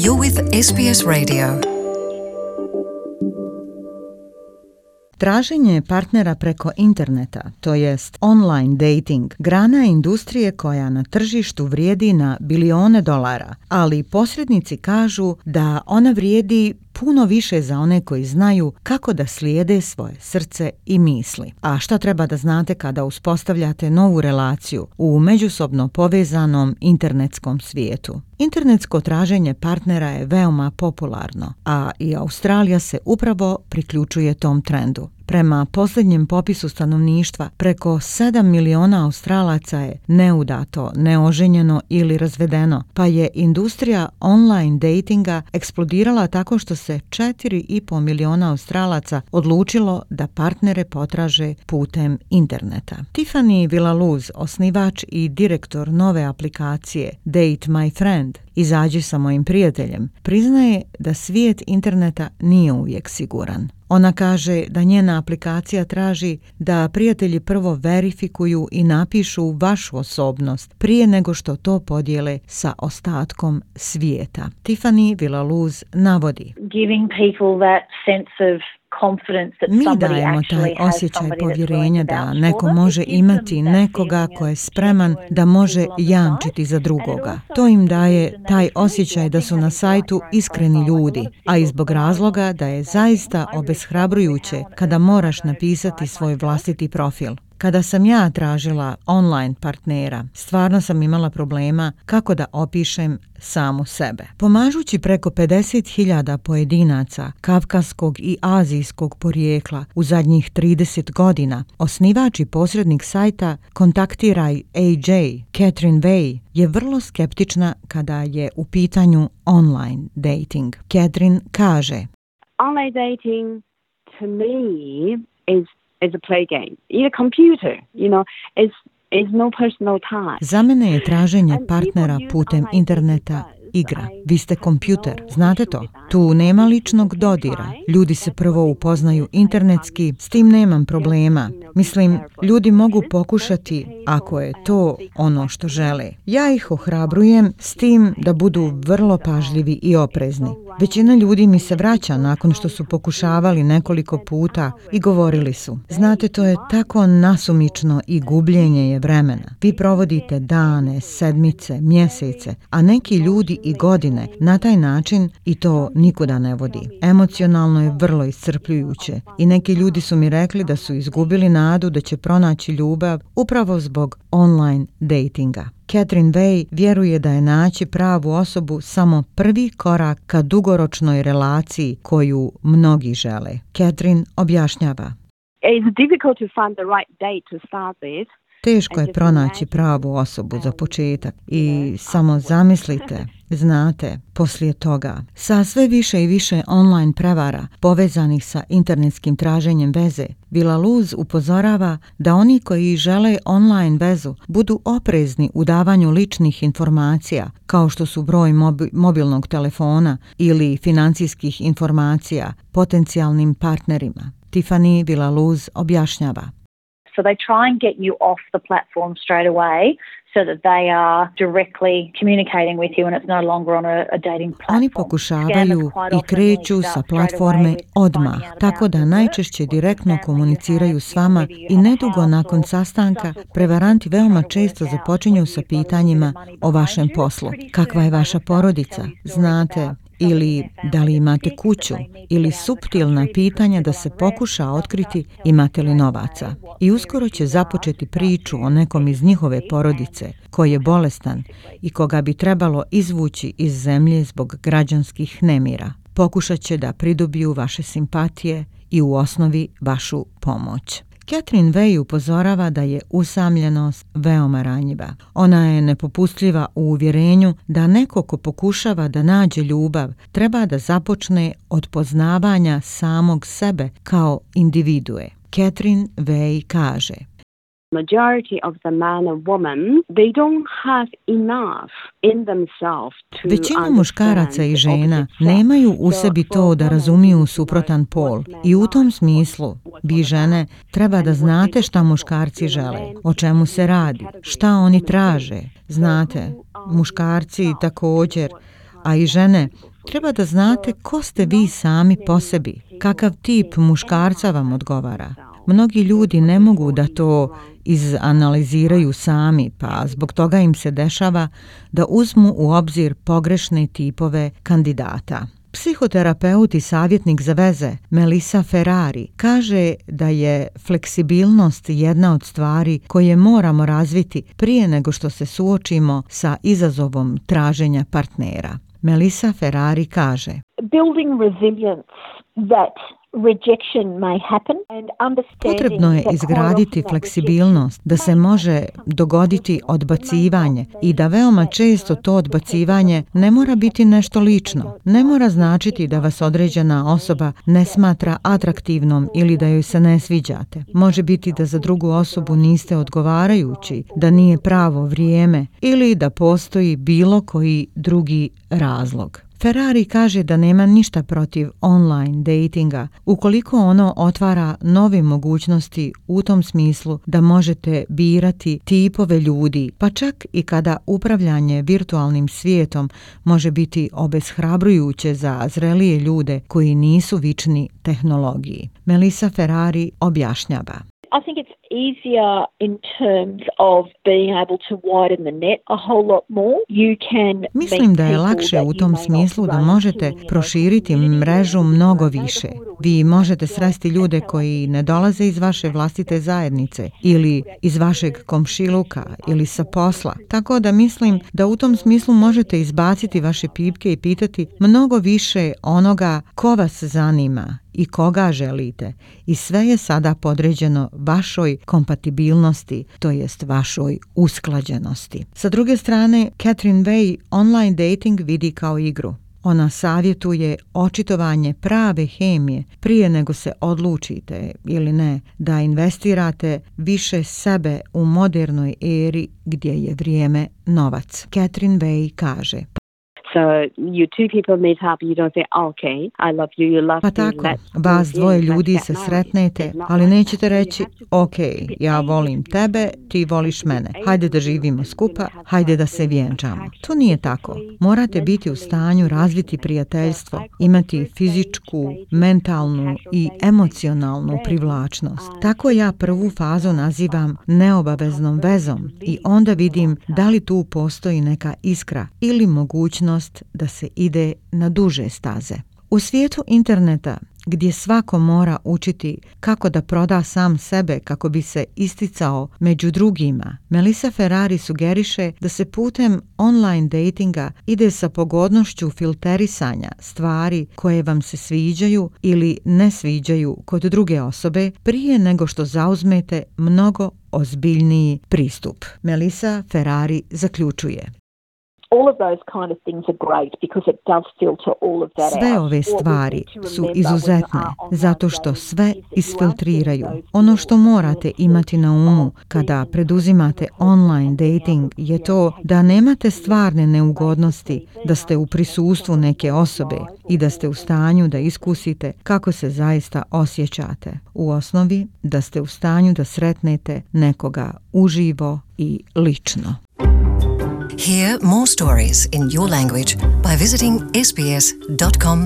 You're with SBS Radio. Traženje partnera preko interneta, to jest online dating, grana je industrije koja na tržištu vrijedi na bilione dolara, ali posrednici kažu da ona vrijedi puno više za one koji znaju kako da slijede svoje srce i misli. A šta treba da znate kada uspostavljate novu relaciju u međusobno povezanom internetskom svijetu? Internetsko traženje partnera je veoma popularno, a i Australija se upravo priključuje tom trendu. Prema posljednjem popisu stanovništva, preko 7 miliona Australaca je neudato, neoženjeno ili razvedeno, pa je industrija online datinga eksplodirala tako što se 4,5 miliona Australaca odlučilo da partnere potraže putem interneta. Tiffany Villaluz, osnivač i direktor nove aplikacije Date My Friend, Izađi sa mojim prijateljem, priznaje da svijet interneta nije uvijek siguran. Ona kaže da njena aplikacija traži da prijatelji prvo verifikuju i napišu vašu osobnost prije nego što to podijele sa ostatkom svijeta. Tiffany Villaluz navodi: Mi dajemo taj osjećaj povjerenja da neko može imati nekoga ko je spreman da može jamčiti za drugoga. To im daje taj osjećaj da su na sajtu iskreni ljudi, a i zbog razloga da je zaista obeshrabrujuće kada moraš napisati svoj vlastiti profil. Kada sam ja tražila online partnera, stvarno sam imala problema kako da opišem samu sebe. Pomažući preko 50.000 pojedinaca kavkaskog i azijskog porijekla u zadnjih 30 godina, osnivač i posrednik sajta Kontaktiraj AJ, Catherine Way, je vrlo skeptična kada je u pitanju online dating. Catherine kaže: Online dating to me is a play game. You're a computer, is no personal time. Za mene je traženje partnera putem interneta igra. Vi ste kompjuter, znate to? Tu nema ličnog dodira. Ljudi se prvo upoznaju internetski, s tim nemam problema. Mislim, ljudi mogu pokušati ako je to ono što žele. Ja ih ohrabrujem s tim da budu vrlo pažljivi i oprezni. Većina ljudi mi se vraća nakon što su pokušavali nekoliko puta i govorili su: znate, to je tako nasumično i gubljenje je vremena. Vi provodite dane, sedmice, mjesece, a neki ljudi i godine na taj način i to nikuda ne vodi. Emocionalno je vrlo iscrpljujuće i neki ljudi su mi rekli da su izgubili nadu da će pronaći ljubav upravo zbog online datinga. Catherine Way vjeruje da je naći pravu osobu samo prvi korak ka dugoročnoj relaciji koju mnogi žele. Catherine objašnjava: It's difficult to find the right date to start with. Teško je pronaći pravu osobu za početak i samo zamislite, znate, poslije toga, sa sve više i više online prevara povezanih sa internetskim traženjem veze, Villaluz upozorava da oni koji žele online vezu budu oprezni u davanju ličnih informacija, kao što su broj mobilnog telefona ili financijskih informacija potencijalnim partnerima. Tiffany Villaluz objašnjava: So they try and get you off the platform straight away so that they are directly communicating with you and it's no longer on a dating platform. Oni pokušavaju i kreću sa platforme odmah, tako da najčešće direktno komuniciraju s vama i nedugo nakon sastanka prevaranti veoma često započinju sa pitanjima o vašem poslu. Kakva je vaša porodica? Znate, ili da li imate kuću, ili suptilna pitanja da se pokuša otkriti imate li novaca. I uskoro će započeti priču o nekom iz njihove porodice koji je bolestan i koga bi trebalo izvući iz zemlje zbog građanskih nemira. Pokušat će da pridobiju vaše simpatije i u osnovi vašu pomoć. Catherine Way upozorava da je usamljenost veoma ranjiva. Ona je nepopustljiva u uvjerenju da neko ko pokušava da nađe ljubav treba da započne od poznavanja samog sebe kao individue. Catherine Way kaže: Majority of the man and woman, they don't have enough in themselves to Većina muškaraca i žena nemaju u sebi to da razumiju suprotan pol i u tom smislu vi žene treba da znate šta muškarci žele, o čemu se radi, šta oni traže. Znate, muškarci također, a i žene Treba da znate ko ste vi sami po sebi, kakav tip muškarca vam odgovara. Mnogi ljudi ne mogu da to izanaliziraju sami, pa zbog toga im se dešava da uzmu u obzir pogrešne tipove kandidata. Psihoterapeut i savjetnik za veze Melissa Ferrari kaže da je fleksibilnost jedna od stvari koje moramo razviti prije nego što se suočimo sa izazovom traženja partnera. Melissa Ferrari kaže: Building resilience that rejection may happen and understanding. Potrebno je izgraditi fleksibilnost da se može dogoditi odbacivanje i da veoma često to odbacivanje ne mora biti nešto lično. Ne mora značiti da vas određena osoba ne smatra atraktivnom ili da joj se ne sviđate. Može biti da za drugu osobu niste odgovarajući, da nije pravo vrijeme ili da postoji bilo koji drugi razlog. Ferrari kaže da nema ništa protiv online datinga ukoliko ono otvara nove mogućnosti u tom smislu da možete birati tipove ljudi, pa čak i kada upravljanje virtualnim svijetom može biti obeshrabrujuće za zrelije ljude koji nisu vični tehnologiji. Melissa Ferrari objašnjava: I think it's easier in terms of being able to widen the net a whole lot more. You can Mislim da je lakše u tom smislu da možete proširiti mrežu mnogo više. Vi možete sresti ljude koji ne dolaze iz vaše vlastite zajednice ili iz vašeg komšiluka ili sa posla. Tako da mislim da u tom smislu možete izbaciti vaše pipke i pitati mnogo više onoga ko vas zanima i koga želite. I sve je sada podređeno vašoj kompatibilnosti, to jest vašoj usklađenosti. Sa druge strane, Catherine Way online dating vidi kao igru. Ona savjetuje očitovanje prave hemije prije nego se odlučite ili ne da investirate više sebe u modernoj eri gdje je vrijeme novac. Catherine Way kaže: So you two people meet up, you don't say, okay, I love you, you love Pa me. tako, vas dvoje ljudi se sretnete, ali nećete reći, ok, ja volim tebe, ti voliš mene, hajde da živimo skupa, hajde da se vjenčamo. To nije tako. Morate biti u stanju razviti prijateljstvo, imati fizičku, mentalnu i emocionalnu privlačnost. Tako ja prvu fazu nazivam neobaveznom vezom i onda vidim da li tu postoji neka iskra ili mogućnost da se ide na duže staze. U svijetu interneta, gdje svako mora učiti kako da proda sam sebe kako bi se isticao među drugima, Melissa Ferrari sugeriše da se putem online datinga ide sa pogodnošću filterisanja stvari koje vam se sviđaju ili ne sviđaju kod druge osobe prije nego što zauzmete mnogo ozbiljniji pristup. Melissa Ferrari zaključuje: all of those kind of things are great because it does filter all of that out. Sve ove stvari su izuzetne zato što sve isfiltriraju. Ono što morate imati na umu kada preduzimate online dating je to da nemate stvarne neugodnosti, da ste u prisustvu neke osobe i da ste u stanju da iskusite kako se zaista osjećate. U osnovi da ste u stanju da sretnete nekoga uživo i lično. Hear more stories in your language by visiting sbs.com.au.